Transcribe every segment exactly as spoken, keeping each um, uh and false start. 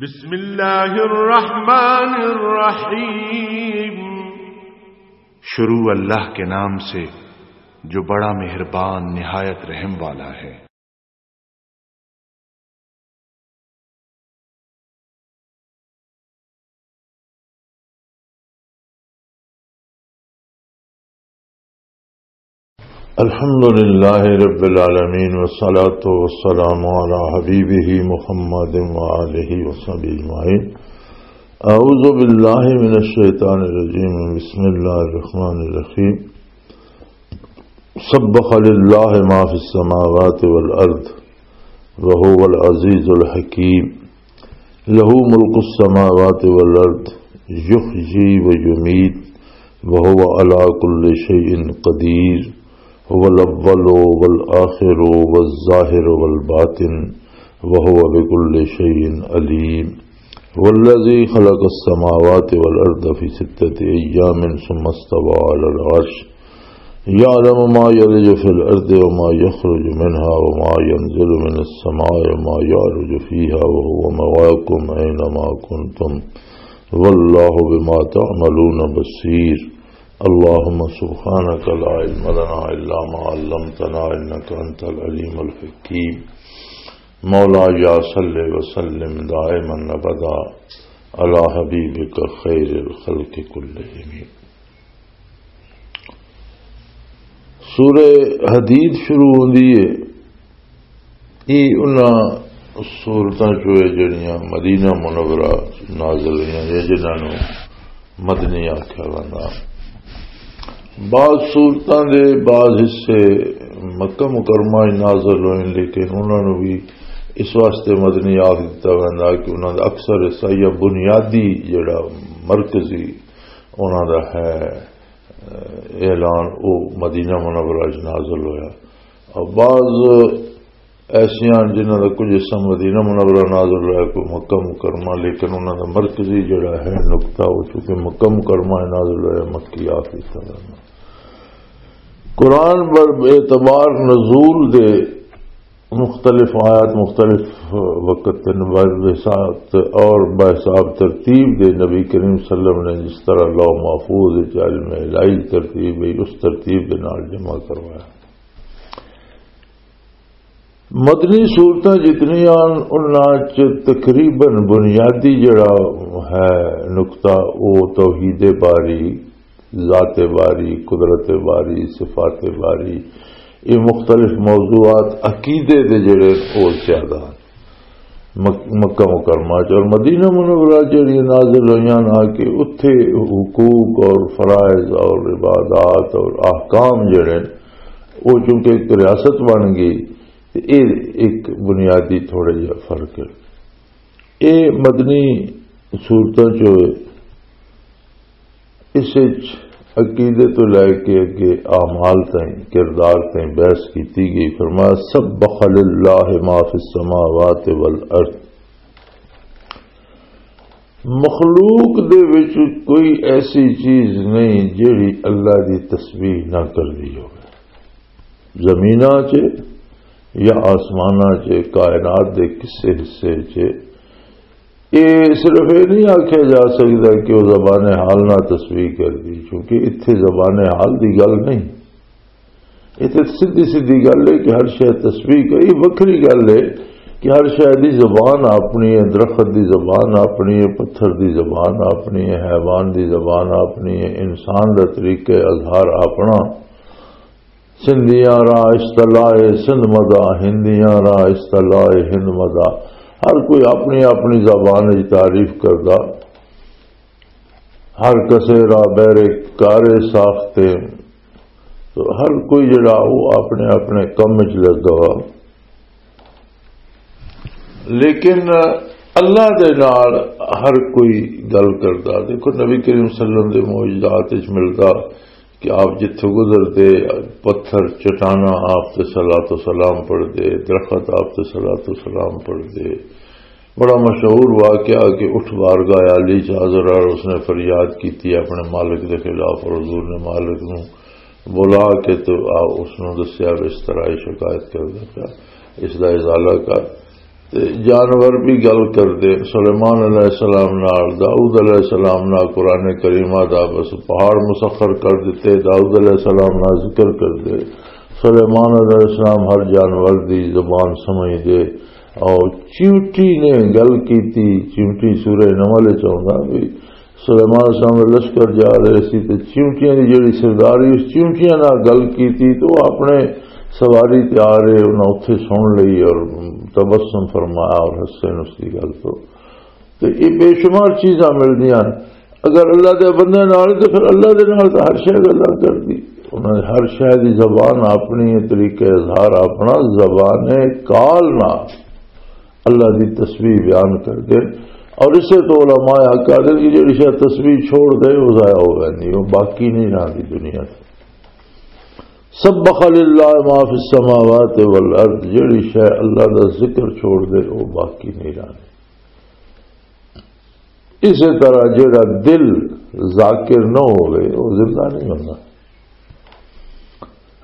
بسم اللہ الرحمن الرحیم۔ شروع اللہ کے نام سے، جو بڑا مہربان، نہایت رحم والا ہے۔ الحمد لله رب العالمين، والصلاة والسلام على حبيبه محمد وآله وصحبه أجمعين. أعوذ بالله من الشيطان الرجيم. بسم الله الرحمن الرحيم. سبح لله ما في السماوات والأرض وهو العزيز الحكيم. له ملك السماوات والأرض يحيي ويميت وهو على كل شيء قدير. هو الأول والآخر والظاهر والباطن وهو بكل شيء عليم. هو الذي خلق السماوات والأرض في ستة أيام ثم استوى على العرش. يعلم ما يلج في الأرض وما يخرج منها وما ينزل من السماء وما يعرج فيها وهو معكم أينما كنتم والله بما تعملون بصير. اللهم سبحانك لا علم لنا إلا ما علمتنا إنك أنت العليم الحكيم. مولاي صل وسلم دائما أبدا على حبيبك خير الخلق كلهم. سورہ حدید شروع ہوندی ہے۔ یہ انہاں سورتاں چوں ہے جڑیاں مدینہ منورہ نازل ہوئیاں یا جنہاں نوں مدنی آکھیا ویندا۔ بعض سورتاں دے بعض حصے مکہ مکرمہ وچ نازل ہوئے، لیکن انہاں نوں بھی اس واسطے مدنی آکھ دتا ویندا کہ انہاں دا اکثر حصہ یا بنیادی جڑا مرکزی انہاں دا ہے اعلان، او مدینہ منورہ وچ نازل ہویا۔ اور بعض ایسیاں جنہاں دا کچھ حصہ مدینہ منورہ نازل ہویا، کوئی مکہ مکرمہ، لیکن انہاں دا مرکزی جڑا ہے نقطہ، وہ چونکہ مکہ مکرمہ نازل ہویا، مکی آخری طرح۔ قرآن پر اعتبار نزول دے مختلف آیات مختلف وقت تے نبوت بحساب اور بحساب ترتیب دے نبی کریم صلی اللہ علیہ وسلم نے جس طرح لوح محفوظ وچ علم الہی ترتیب ہے، اس ترتیب دے نال جمع کروایا۔ مدنی صورتاں جتنیاں ان، انہاں چ تقریباً بنیادی جڑا ہے نقطہ، وہ توحید باری، ذات باری، قدرت باری، صفات باری، یہ مختلف موضوعات عقیدے دے جڑے، وہ زیادہ مک-، مکہ مکرمہ چ اور مدینہ منورہ جڑی نازل ہوئیاں نا کہ اتھے حقوق اور فرائض اور عبادات اور احکام جڑے، وہ چونکہ ایک ریاست بن گئی، تے اے ایک بنیادی تھوڑا جہا فرق ہے۔ اے مدنی صورتاں چ ہوئے، اس وچ عقیدے تو لے کے اگے اعمال تائیں، کردار تائیں بحث کیتی گئی۔ فرمایا، "سبح للہ ما فی السماوات والارض۔" مخلوق دے وچ کوئی ایسی چیز نہیں جیڑی اللہ دی تسبیح نہ کر رہی ہوگی۔ زمیناں چ یا آسماناں چ، کائنات دے کسے حصے چ، اے صرف اے نہیں آکھیا جا سکدا کہ وہ زبان حال نہ تسبیح کر دی، کیونکہ اتھے زبان حال دی گل نہیں۔ اتھے سیدھی سیدھی گل ہے کہ ہر شے تسبیح کری، وکھری گل ہے کہ ہر شے دی زبان اپنی ہے، درخت دی زبان اپنی ہے، پتھر دی زبان اپنی ہے، حیوان دی زبان اپنی ہے، انسان دا طریقہ اظہار اپنا۔ سندھیاں راہ اشتلا ہے سندھ مدا، ہندیاں راہ اشتلا ہے ہند مدا۔ ہر کوئی اپنی اپنی زبان وچ تعریف کردا، ہر کسے راہ بہرے کارے ساختے۔ تو ہر کوئی جڑا وہ اپنے اپنے کم وچ لگا ہوا۔ لیکن اللہ دے نال ہر کوئی گل کردا۔ دیکھو، نبی کریم صلی اللہ علیہ وسلم دے معجزات وچ ملدا کہ آپ جتھوں گزردے، پتھر، چٹاناں آپ تے صلوات و سلام پڑھدے، درخت آپ تے صلوات و سلام پڑھدے۔ بڑا مشہور واقعہ کہ اٹھ بارگاہ عالی چ حاضر اور اس نے فریاد کیتی اپنے مالک دے خلاف، اور حضور نے مالک نو بلا کے تو آ، اس نو دسیا بھی اس طرح یہ شکایت کردا پیا، اس دا ازالہ کر۔ تے جانور بھی گل کردے۔ سلیمان علیہ السلام نال، داؤد علیہ السلام نال قرآن کریمہ دا بس پہاڑ مسخر کر دتے، داؤد علیہ السلام نال ذکر کردے۔ سلیمان علیہ السلام ہر جانور دی زبان سمجھ دے۔ اور چیونٹی نے گل کیتی، چیونٹی سورہ نمل وچ آوندا بھی، سلیمان علیہ السلام دا لشکر جا رہے سی تے چیونٹیاں دی جڑی سرداری، اس چیونٹیاں نال گل کیتی تے او اپنے سواری تے آ رہے، انہاں اتھے سن لئی اور تبسم فرمایا اور حسین اس دی گل تو۔ تے یہ بے شمار چیزاں ملدیاں۔ اگر اللہ دے بندے نال تے پھر اللہ دے نال تے ہر شے گلاں کردی۔ انہاں نے ہر شے دی زبان اپنی، طریقہ اظہار اپنا، زبان کال نال اللہ دی تسبیح بیان کردے۔ اور اسے تو علماء حق آدھے کہ جڑی شاید تسبیح چھوڑ دے، وہ ضائع ہو جاندی، وہ باقی نہیں رہندی دنیا تے۔ سبح للہ ما فی السماوات والارض، جڑی شے اللہ دا ذکر چھوڑ دے، وہ باقی نہیں رہندی۔ اسی طرح جڑا دل ذاکر نہ ہوئے، وہ زندہ نہیں ہونا۔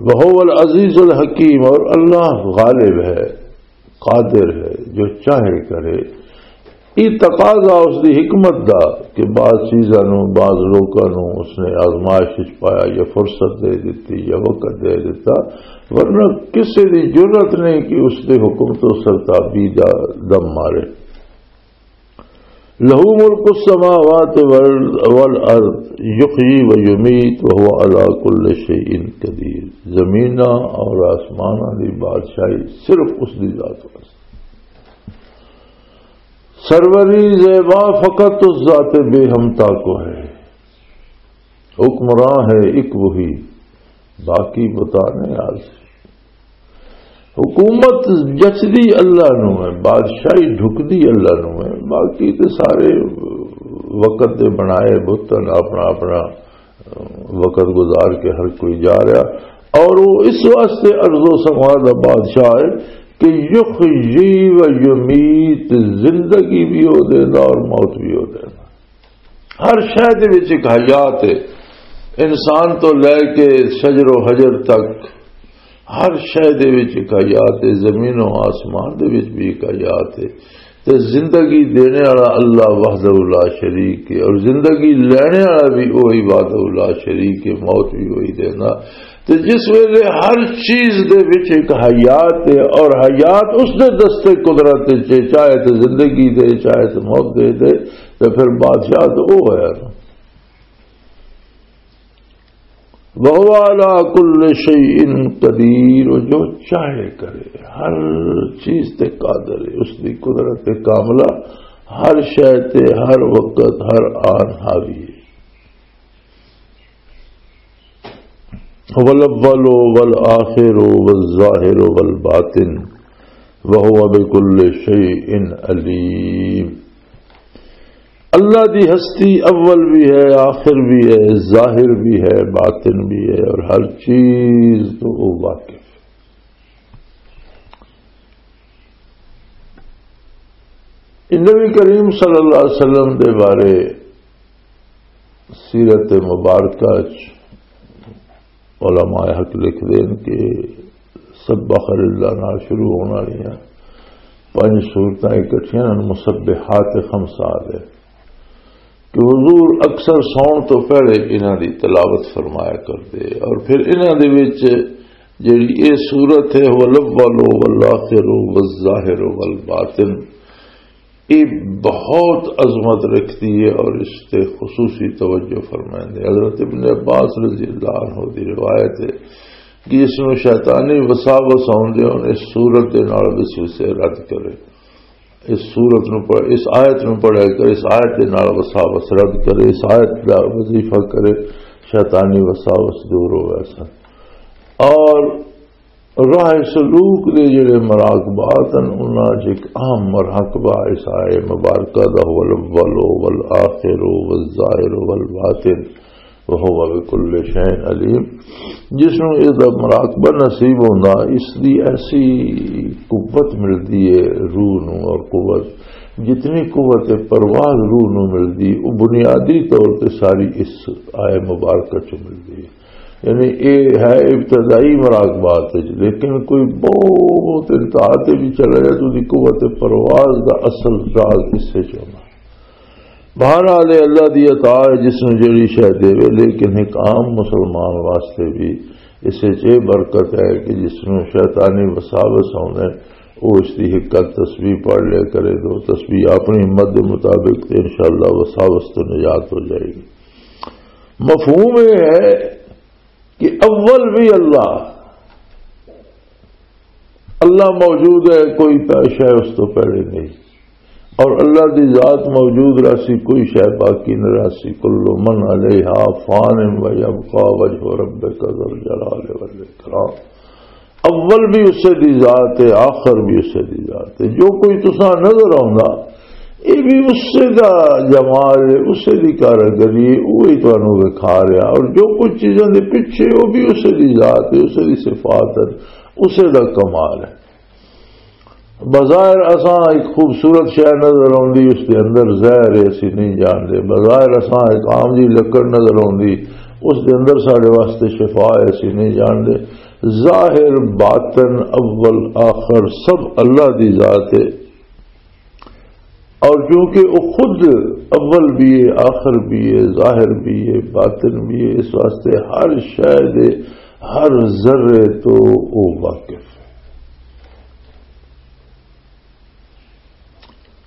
وہو العزیز الحکیم، اور اللہ غالب ہے، قادر ہے، جو چاہے کرے۔ یہ تقاضا اس دی حکمت دا کہ بعض چیزاں نو، بعض لوکاں نو اس نے آزمائش وچ پایا یا فرصت دے دتی یا وقت دے دتا، ورنہ کسے دی جرت نہیں کہ اس دے حکم تو سرتابی دا دم مارے۔ لہو ملک السماوات وال-، والارض یحیی و یمیت وہو علی کل شیء قدیر۔ زمیناں اور آسماناں دی بادشاہی صرف اس دی ذات واسطے۔ سروری زیبا فقط اس ذات بے ہمتا کو ہے۔ حکمراں ہے ایک وہی، باقی پتہ نہیں آج۔ حکومت جچدی اللہ نو ہے، بادشاہی ڈھکدی اللہ نو ہے، باقی تے سارے وقت دے بنائے بت ہن، اپنا اپنا وقت گزار کے ہر کوئی جا رہا۔ اور وہ اس واسطے ارض و سما دا بادشاہ ہے کہ یحیی و یمیت، زندگی بھی ہو دینا اور موت بھی ہو دینا۔ ہر شے دے وچ ایک حیات ہے، انسان تو لے کے شجر و حجر تک ہر شے دے وچ ایک حیات ہے، زمین و آسمان دے وچ بھی ایک حیات ہے۔ تے زندگی دینے والا اللہ وحدہ لا شریک ہے، اور زندگی لینے والا بھی وہی وحدہ لا شریک ہے، موت بھی وہی دینا۔ تے جس ویلے ہر چیز دے وچ ایک حیات ہے، اور حیات اس دے دستے قدرت وچ ہے، چاہے تے زندگی دے، چاہے تے موت دے دے، تے پھر بادشاہ تو وہ ہے نا۔ وَهُوَ عَلَى كُلِّ شَيْءٍ قَدِيرٌ، وہ جو چاہے کرے، ہر چیز تے قادر ہے، اس دی قدرت کاملہ ہر شے تے، ہر وقت، ہر آن حاوی ہے۔ هُوَ الْأَوَّلُ وَالْآخِرُ وَالظَّاهِرُ وَالْبَاطِنُ وَهُوَ بِكُلِّ شَيْءٍ عَلِيمٌ۔ اللہ دی ہستی اول بھی ہے، آخر بھی ہے، ظاہر بھی ہے، باطن بھی ہے، اور ہر چیز تو وہ واقف ہے۔ نبی کریم صلی اللہ علیہ وسلم دے بارے سیرت مبارکہ چ علماء حق لکھ دین کہ سبح للہ نال شروع ہونے والی ہیں پنج سورتاں اکٹھیاں ہن، مسبحات خمسہ آ گئے کہ حضور اکثر سون تو پہلے انہاں دی تلاوت فرمایا کردے، اور پھر انہاں دے وچ جڑی اے سورت ہے، هُوَ الْأَوَّلُ وَالْآخِرُ وَالظَّاهِرُ وَالْبَاطِنُ، یہ بہت عظمت رکھتی ہے اور اس تے خصوصی توجہ فرمائیں دے۔ حضرت ابن عباس رضی اللہ عنہ دی روایت ہے کہ اس نو شیطانی وساوس آؤندے ہن، اس سورت دے نال وسوسے رد کرے، اس سورت نو پڑھ، اس آیت نو پڑھیا کرے، اس آیت دے نال وساوس رد کرے، اس آیت دا وظیفہ کرے، شیطانی وساوس دور ہو ویسا۔ اور راہ سلوک دے جڑے مراقبات ہیں، انہاں چ ایک اہم مراقبہ اس آئے مبارکہ دا، هُوَ الْأَوَّلُ وَالْآخِرُ وَالظَّاهِرُ وَالْبَاطِنُ وَهُوَ بِكُلِّ شَيْءٍ عَلِيمٌ۔ جس نوں اس دا مراقبہ نصیب ہوندا، اس دی ایسی قوت ملدی ہے روح نوں، اور قوت، جتنی قوت پرواز روح نوں ملدی، وہ بنیادی طور تے ساری اس آئے مبارکہ چ ملدی ہے۔ یعنی یہ ہے ابتدائی مراقبات وچ، لیکن کوئی بہت انتہا تے بھی چلا جائے تو دی قوت پرواز دا اصل راز اس سے چاہنا۔ بہرحال، یہ اللہ دی عطا ہے جس نوں جڑی شے دے، لیکن ایک عام مسلمان واسطے بھی اس وچ یہ برکت ہے کہ جس نوں شیطانی وساوس آوندے، وہ اس دی ایک تسبیح پڑھ لیا کرے، دو تسبیح اپنی ہمت دے مطابق، تے انشاءاللہ وساوس تو نجات ہو جائے گی۔ مفہوم یہ ہے کہ اول بھی اللہ، اللہ موجود ہے، کوئی پہ-، شے اس تو پہلے نہیں، اور اللہ دی ذات موجود رہسی، کوئی شے باقی نہ رہسی۔ کل من علیہا فان و یبقی وجہ ربک ذو الجلال والاکرام۔ اول بھی اسے دی ذات ہے، آخر بھی اسے دی ذات ہے۔ جو کوئی تساں نظر آوندا، یہ بھی اسے دا جمال ہے، اسے دی کاریگری ہے، وہی تانوں وکھا رہا۔ اور جو کچھ چیزاں دے پیچھے، وہ بھی اسے دی ذات ہے، اسے دی صفات ہے، اسے دا کمال ہے۔ بظاہر اساں ایک خوبصورت شے نظر آندی، اس دے اندر زہر ہے، اسی نہیں جاندے۔ بظاہر اساں ایک عام جی لکڑ نظر آندی، اس دے اندر ساڈے واسطے شفا ہے، اسی نہیں جاندے۔ ظاہر، باطن، اول، آخر سب اللہ دی ذات ہے۔ اور چونکہ وہ خود اول بھی ہے، آخر بھی ہے، ظاہر بھی ہے، باطن بھی ہے، اس واسطے ہر شے دے، ہر ذرے تو وہ واقف ہے۔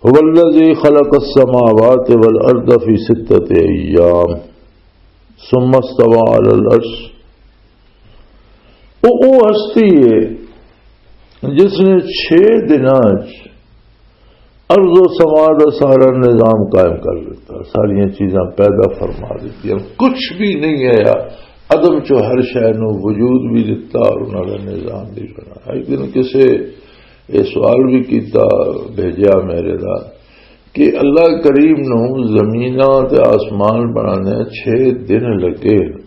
هو الذي خلق السماوات والأرض في ستة أيام ثم استوى على العرش۔ وہ، وہ ہستی ہے جس نے چھ دناں وچ ارض و سما دا سارا نظام قائم کر دیتا، ساریاں چیزاں پیدا فرما دیتی، کچھ بھی نہیں آیا، عدم چو ہر شے نو وجود بھی دیتا اور انہاں دا نظام بھی بنایا۔ ایک دن کسے یہ سوال بھی کیتا، بھیجیا میرے دا، کہ اللہ کریم نو زمیناں تے آسمان بنانے چھ دن لگے۔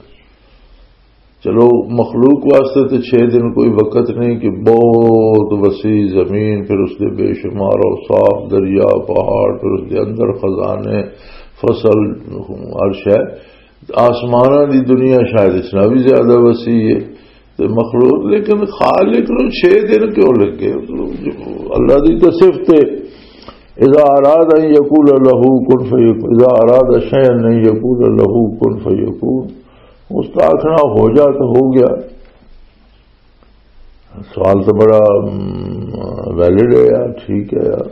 چلو، مخلوق واسطے تے چھ دن کوئی وقت نہیں، کہ بہت وسیع زمین، پھر اس دے بے شمار اوصاف، دریا، پہاڑ، پھر اس دے اندر خزانے، فصل، ہر شے۔ آسماناں دی دنیا شاید اس نال بھی زیادہ وسیع ہے تے مخلوق، لیکن خالق نوں چھ دن کیوں لگے؟ اللہ دی تے صفت ہے، اذا اراد ان یقول له کن فیکون، اذا اراد شیئا ان یقول له کن فیکون۔ اس کا آخنا ہو جا تو ہو گیا۔ سوال تو بڑا، ام، ویلڈ ہے یار، ٹھیک ہے یار۔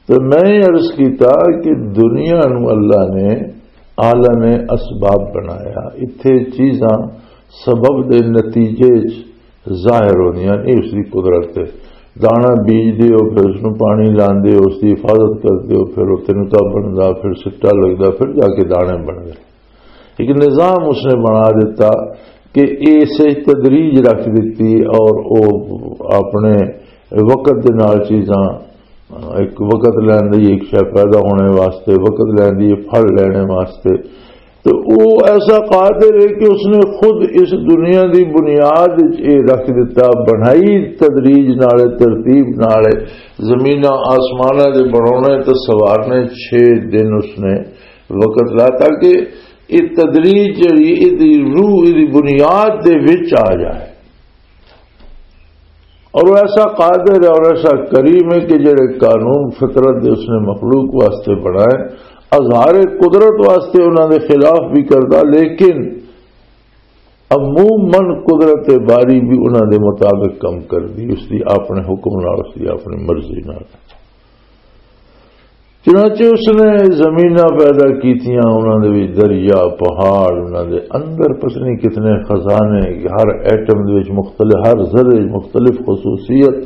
تو میں یہ عرض کیتا کہ دنیا نو اللہ نے عالم اسباب بنایا، اتھے چیزاں سبب دے نتیجے چ ظاہر ہوندیاں، یہ اس دی قدرت ہے۔ دانا بیج دیو، پھر اس نو پانی لاندے ہو، اس دی حفاظت کر دیو، پھر وہ تنکا بندا، پھر سٹا لگدا، پھر جا کے دانے بن گئے۔ ایک نظام اس نے بنا دیتا کہ ایسے تدریج رکھ دیتی اور وہ اپنے وقت دے نال چیزاں، ایک وقت لین دی ایک شے پیدا ہونے واسطے، وقت لین دی پھل لینے واسطے۔ تو وہ ایسا قادر ہے کہ اس نے خود اس دنیا دی بنیاد وچ یہ رکھ دیتا، بنائی تدریج نال، ترتیب نال، زمیناں آسماناں دے بناونے تے سوارنے چھ دن اس نے وقت لا، تاکہ یہ تدریج جڑی، یہ دی روح، یہ دی بنیاد دے وچ آ جائے۔ اور وہ ایسا قادر ہے اور ایسا کریم ہے کہ جڑے قانون فطرت دے اس نے مخلوق واسطے بنائے، اظہار قدرت واسطے انہاں دے خلاف بھی کردا، لیکن عموماً قدرت باری بھی انہاں دے مطابق کم کردی، اس دی اپنے حکم نال، اس دی اپنی مرضی نال۔ چنانچہ اس نے زمیناں پیدا کیتیاں، انہاں دے وچ دریا، پہاڑ، انہاں دے اندر پتہ نہیں کتنے خزانے، ہر ایٹم دے وچ مختلف، ہر ذرے وچ مختلف خصوصیت،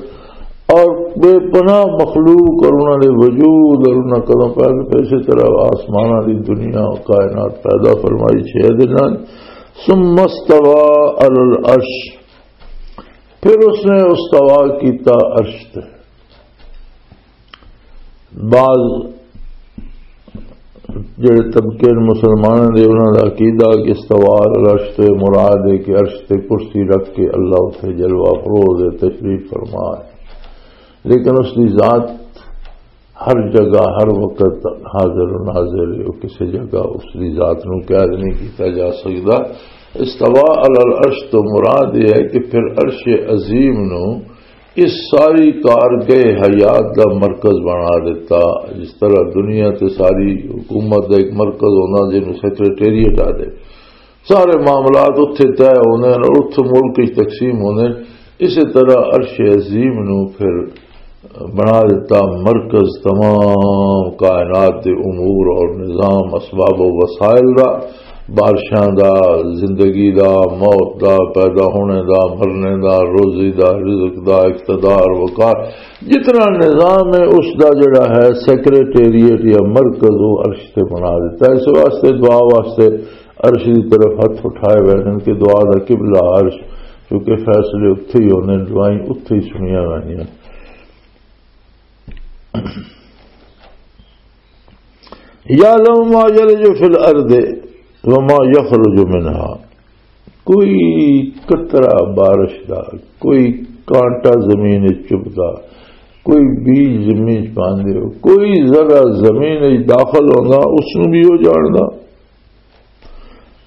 اور بے پناہ مخلوق اور انہاں دے وجود اور انہاں کدوں پیدا، پھر اسی طرح آسماناں دی دنیا، کائنات پیدا فرمائی چھ دناں۔ ثم استوى على العرش، پھر اس نے استوا کیتا عرش تے۔ بعض جڑے طبقے نے مسلمانوں دے، انہاں دا عقیدہ کہ استوا عرش تے مراد ہے کہ عرش تے کرسی رکھ کے اللہ اتھے جلوہ افروز ہے، تشریف فرما ہے۔ لیکن اس دی ذات ہر جگہ، ہر وقت حاضر و ناظر ہے، وہ کسی جگہ اس دی ذات نو قید نہیں کیتا جا سکدا۔ استوا علی العرش تو مراد یہ ہے کہ پھر عرش عظیم نو اس ساری کارگاہ حیات دا مرکز بنا دیتا۔ جس طرح دنیا تے ساری حکومت دا ایک مرکز ہونا، جنوں سیکرٹریٹ آ دے، سارے معاملات اتھے طے ہوندے نے اور اتھے ملک وچ تقسیم ہوندے نے، اسی طرح عرش عظیم نو پھر بنا دیتا مرکز تمام کائنات دے امور اور نظام، اسباب و وسائل دا، بارشاں دا، زندگی دا، موت دا، پیدا ہونے دا، مرنے دا، روزی دا، رزق دا، اقتدار، وقار، جتنا نظام ہے اس دا جڑا ہے سیکرٹریٹ یا مرکز، وہ عرش تے بنا دیتا ہے۔ اس واسطے، دعا واسطے عرش دی طرف ہاتھ اٹھائے ہوئے ہیں کہ دعا دا قبلہ عرش، کیونکہ فیصلے اتھے ہی ہونے، دعائیں اتھے ہی سنیاں جاندیاں۔ یعلم ما یلج فی الارض وما یخرج منها۔ کوئی قطرہ بارش دا، کوئی کانٹا زمین وچ چبھدا، کوئی بیج زمین وچ پاندے ہو، کوئی ذرہ زمین وچ داخل ہوندا، اس نوں بھی وہ جاندا۔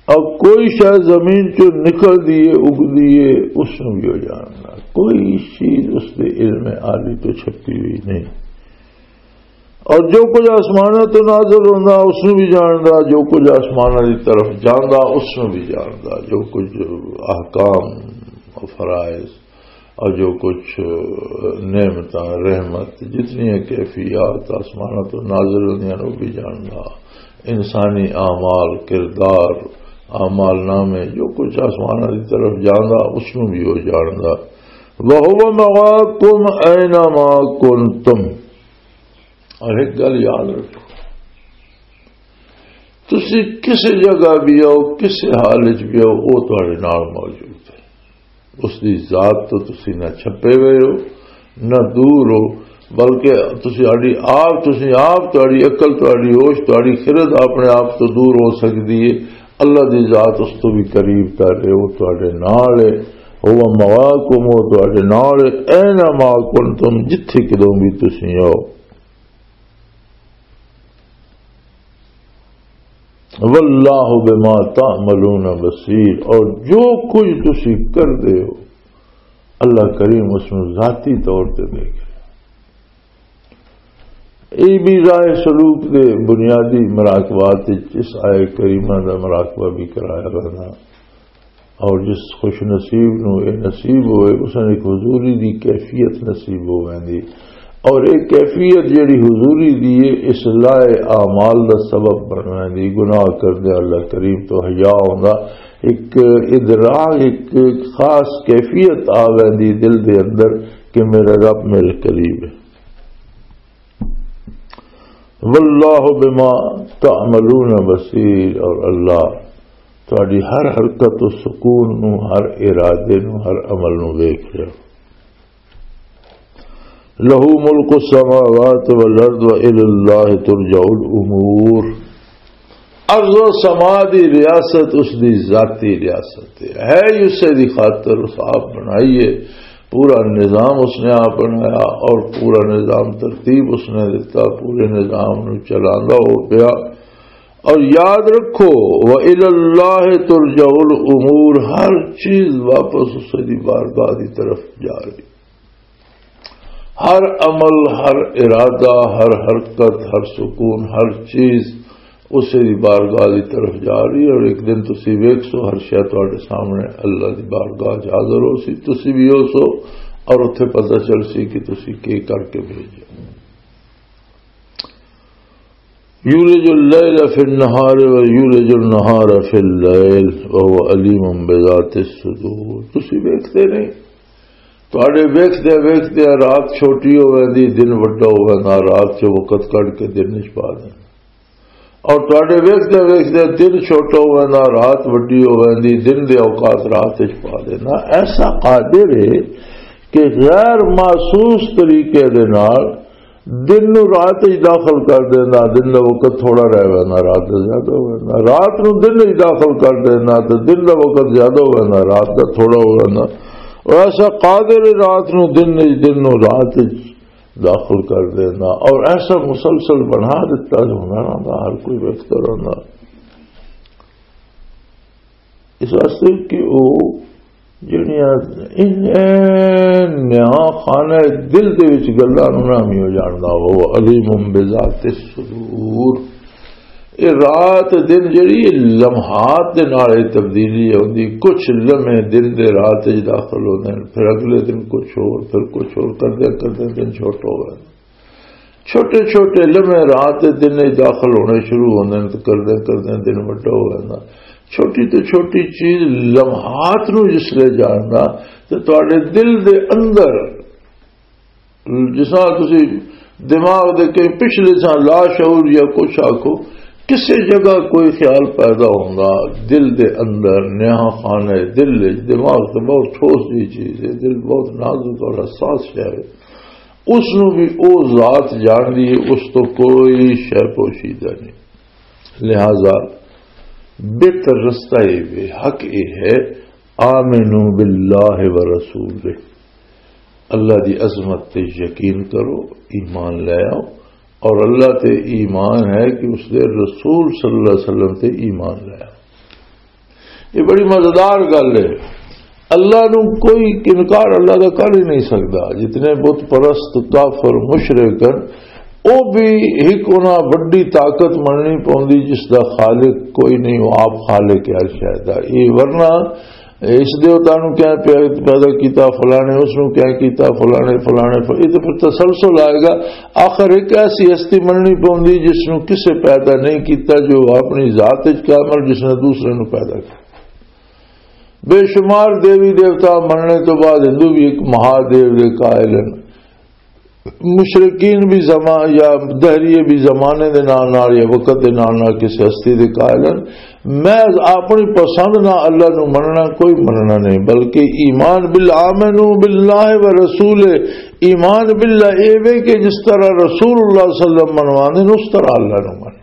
اور کوئی شے زمین چوں نکل دیے، اگ دیے، اس نوں بھی وہ جاندا۔ کوئی چیز اس دے علم عالی تو چھپی ہوئی نہیں۔ اور جو کچھ آسماناں تو نازل ہوندا، اس نوں بھی جاندا، جو کچھ آسماناں دی طرف جاندا، اس نوں بھی جاندا، جو کچھ احکام و فرائض اور جو کچھ نعمتاں، رحمت، جتنی کیفیات آسماناں تو نازل ہوندیاں، وہ بھی جاندا۔ انسانی اعمال، کردار، اعمال نامے، جو کچھ آسماناں دی طرف جاندا، اس نوں بھی وہ جاندا۔ وَهُوَ مَعَكُمْ أَيْنَ مَا كُنْتُمْ۔ اور ایک گل یاد رکھو، تسی کس جگہ بھی ہو، کس حال وچ بھی ہو، وہ تہاڈے نال موجود ہے۔ اس دی ذات تو تسی نہ چھپے ہوئے ہو، نہ دور ہو، بلکہ تسی ساڈی آپ، تسی آپ، تہاڈی عقل، تہاڈی ہوش، تہاڈی خرد اپنے آپ تو دور ہو سکدی ہے۔ اللہ دی ذات اس تو بھی قریب تر ہے، وہ تہاڈے نال ہے۔ هُوَ مَعَكُمْ، وہ تہاڈے نال ہے۔ أَيْنَ مَا كُنْتُمْ، جتھے کدوں بھی تسی ہو۔ وَاللَّهُ بِمَا تَعْمَلُونَ بَصِيرٌ، اور جو کچھ تسی کردے ہو، اللہ کریم اس نوں ذاتی طور تے دیکھ رہے۔ یہ بھی راہ سلوک دے بنیادی مراقبات وچ اس آیت کریمہ دا مراقبہ بھی کرایا رہنا۔ اور جس خوش نصیب نوں یہ نصیب ہوئے، اس نے ایک حضوری دی کیفیت نصیب ہو ویندی۔ اور ایک کیفیت جڑی حضوری دی ہے، اصلاح اعمال دا سبب بن ویندی۔ گناہ کردے اللہ کریم تو حیا ہوندا، ایک ادراک، ایک خاص کیفیت آ ویندی دل دے اندر کہ میرا رب میرے قریب ہے۔ واللہ بما تعملون بصیر، اور اللہ تہاڈی ہر حرکت و سکون نو، ہر ارادے نو، ہر عمل نو ویکھ رہا۔ لہ ملک السماوات والارض والی اللہ ترجع الامور۔ ارض و سما دی ریاست اس دی ذاتی ریاست ہے، ہے ہی اسے دی خاطر، اس آپ بنائی ہے۔ پورا نظام اس نے آپ بنایا اور پورا نظام ترتیب اس نے دیتا، پورے نظام نو چلاندا ہو پیا۔ اور یاد رکھو، وَإِلَى اللَّهِ تُرْجَعُ الْأُمُورُ، ہر چیز واپس اسے دی بارگاہ دی طرف جا رہی۔ ہر عمل، ہر ارادہ، ہر حرکت، ہر سکون، ہر چیز اسے دی بارگاہ دی طرف جا رہی ہے۔ اور ایک دن تسی ویکھ سو، ہر شے تہاڈے سامنے اللہ دی بارگاہ چ حاضر ہو سی، تسی بھی ہو سو، اور اتھے پتہ چل سی کہ تسی کی کر کے بھیجے۔ یولج اللیل فی النہار و یولج النہار فی اللیل وہو علیم بذات الصدور۔ تسی ویکھدے نہیں، تہاڈے ویکھدے ویکھدے رات چھوٹی ہو ویندی، دن وڈا ہو ویندا، رات چ وقت کڈ کے دن وچ پا دیندا۔ اور تہاڈے ویکھدے ویکھدے دن چھوٹا ہو ویندا، رات وڈی ہو ویندی، دن دے اوقات رات وچ پا دیندا۔ ایسا قادر ہے کہ غیر محسوس طریقے دے نال دن نو رات وچ داخل کر دیندا، دن دا وقت تھوڑا رہ ویندا، رات دا زیادہ ہو ویندا، رات نو دن وچ داخل کر دیندا تے دن دا وقت زیادہ ہو ویندا، رات دا تھوڑا ہو ویندا۔ اور ایسا قادر ہے رات نو دن وچ، دن نو رات وچ داخل کر دیندا، اور ایسا مسلسل بنا دیتا جو ہوندا رہندا، ہر کوئی ویکھدا رہندا۔ اس واسطے کہ او جڑیاں ان، ان نیاں خانہ دل دے وچ گلاں نوں نامی ہو جاندا، وہ علیم بذات الصدور۔ یہ رات دن جڑی لمحات دے نال ہی تبدیلی ہوندی، کچھ لمحے دن دے رات وچ داخل ہوندے نے، پھر اگلے دن کچھ ہور، پھر کچھ ہور، کردے کردے دن چھوٹا ہو گیا۔ چھوٹے چھوٹے لمحے رات دے دن وچ داخل ہونے شروع ہوندے نے تے کردے کردے دن وڈا ہو جاندا۔ چھوٹی تو چھوٹی چیز لمحات نو جس لے جاندا تے تواڈے دل دے اندر، جس طرح تسی دماغ دے کہیں پچھلے سا لاشعور یا کچھ آکھو، کسے جگہ کوئی خیال پیدا ہوندا دل دے اندر، نیاں خانہ دل وچ، دماغ تو بہت ٹھوس جی چیز ہے، دل بہت نازک اور حساس شے ہے، اس نو بھی او ذات جان دی ہے، اس تو کوئی شے پوشیدہ نہیں۔ لہذا بہتر رستہ یہ وے، حق یہ ہے، آمنو باللہ و رسول، اللہ دی عظمت تے یقین کرو، ایمان لے آؤ، اور اللہ تے ایمان ہے کہ اس دے رسول صلی اللہ علیہ وسلم تے ایمان لے آؤ۔ یہ بڑی مزیدار گل ہے۔ اللہ نو کوئی انکار اللہ دا کر ہی نہیں سکدا۔ جتنے بت پرست، کافر، مشرک ہن، او بھی ایک انہاں وڈی طاقت مننی پوندی جس دا خالق کوئی نہیں، وہ آپ خالق ہے ہر شے دا۔ یہ ورنہ اس دے اوتاں نوں کیا پیا-، پیدا کیتا فلانے، اس نوں کیا کیتا فلانے، فلانے، ف-، یہ تو پھر تسلسل آئے گا۔ آخر ایک ایسی ہستی مننی پوندی جس نوں کسے پیدا نہیں کیتا، جو اپنی ذات وچ کامل، جس نے دوسرے نوں پیدا کیا۔ بے شمار دیوی دیوتا مننے تو بعد ہندو بھی ایک مہادیو دے قائل ہیں۔ مشرکین بھی زمان یا دہریے بھی زمانے دے نال نال یا وقت دے نال نال کسی ہستی دے قائل ہیں۔ محض اپنی پسند نہ اللہ نو مننا کوئی مننا نہیں، بلکہ ایمان بالآمنو باللہ و رسول، ایمان باللہ اے وے کہ جس طرح رسول اللہ صلی اللہ علیہ وسلم منواندے نے، اس طرح اللہ نو من۔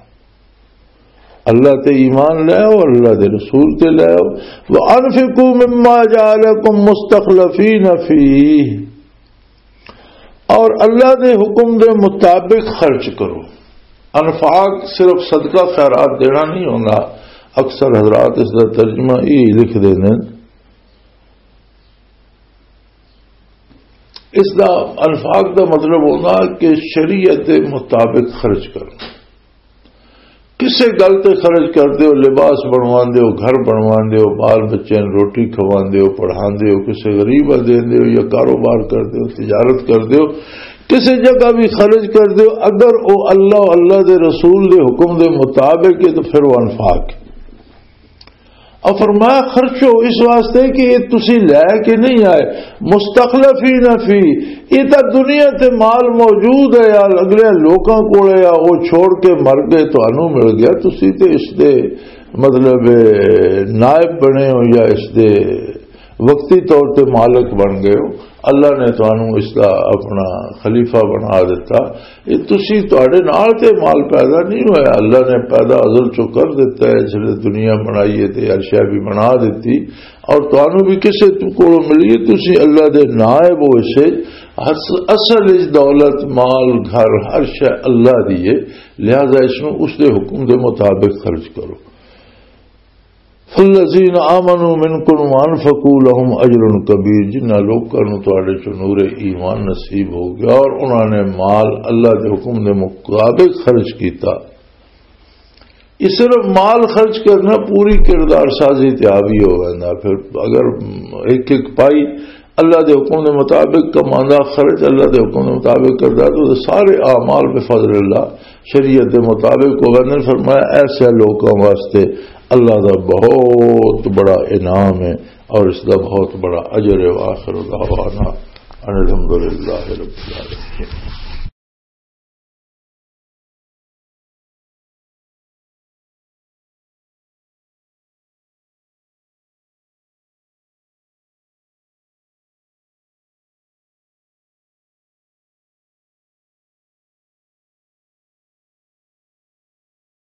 اللہ تے ایمان لے آؤ، اللہ دے رسول تے لے آؤ۔ وَأَنفِقُوا مِمَّا جَعَلَكُمْ مُسْتَخْلَفِينَ فِيهِ، اور اللہ دے حکم دے مطابق خرچ کرو۔ انفاق صرف صدقہ خیرات دینا نہیں ہونا، اکثر حضرات اس دا ترجمہ یہ لکھ دینے۔ اس دا، انفاق دا مطلب ہونا کہ شریعت دے مطابق خرچ کرنا۔ کسے گل تے خرچ کردے ہو، لباس بنواندے ہو، گھر بنواندے ہو، بال بچے نوں روٹی کھواندے ہو، پڑھاندے ہو، کسے غریب نوں دیندے ہو یا کاروبار کردے ہو، تجارت کردے ہو، کسے جگہ بھی خرچ کردے ہو، اگر او اللہ، اللہ دے رسول دے حکم دے مطابق ہے تو پھر وہ انفاق ہے۔ اور فرمایا، خرچو اس واسطے کہ یہ تسی لے کے نہیں آئے، مستخلفین فی، یہ تا دنیا تے مال موجود ہے یا اگلے لوکاں کول ہے یا وہ چھوڑ کے مر گئے، تانوں مل گیا، تسی تے اس دے مطلب نائب بنے ہو یا اس دے وقتی طور تے مالک بن گئے ہو۔ اللہ نے تانوں اس دا اپنا خلیفہ بنا دیتا۔ یہ تسی، تہاڈے نال تے مال پیدا نہیں ہویا، اللہ نے پیدا ازل چوں کر دیتا ہے، اس نے دنیا بنائی ہے تے ہر شے بھی بنا دیتی، اور تانوں بھی کسے تو کولوں ملی ہے، تسی اللہ دے نائب ہو اسے۔ اص-، اصل اس دولت، مال، گھر، ہر شے اللہ دی ہے، لہذا اس نوں اس دے حکم دے مطابق خرچ کرو۔ فالذین آمنوا منکم وانفقوا لهم اجر کبیر، جنہاں لوکاں نوں تہاڈے چوں نور ایمان نصیب ہو گیا اور انہاں نے مال اللہ دے حکم دے مطابق خرچ کیتا۔ یہ صرف مال خرچ کرنا پوری کردار سازی تے حاوی ہو ویندا۔ پھر اگر ایک ایک پائی اللہ دے حکم دے مطابق کماندا، خرچ اللہ دے حکم دے مطابق کردا، تو سارے اعمال بفضل اللہ شریعت دے مطابق ہو ویندے۔ فرمایا، ایسے لوکاں واسطے اللہ دا بہت بڑا انعام ہے اور اس دا بہت بڑا اجر ہے۔ وآخر دعوانا ان الحمدللہ رب العالمین۔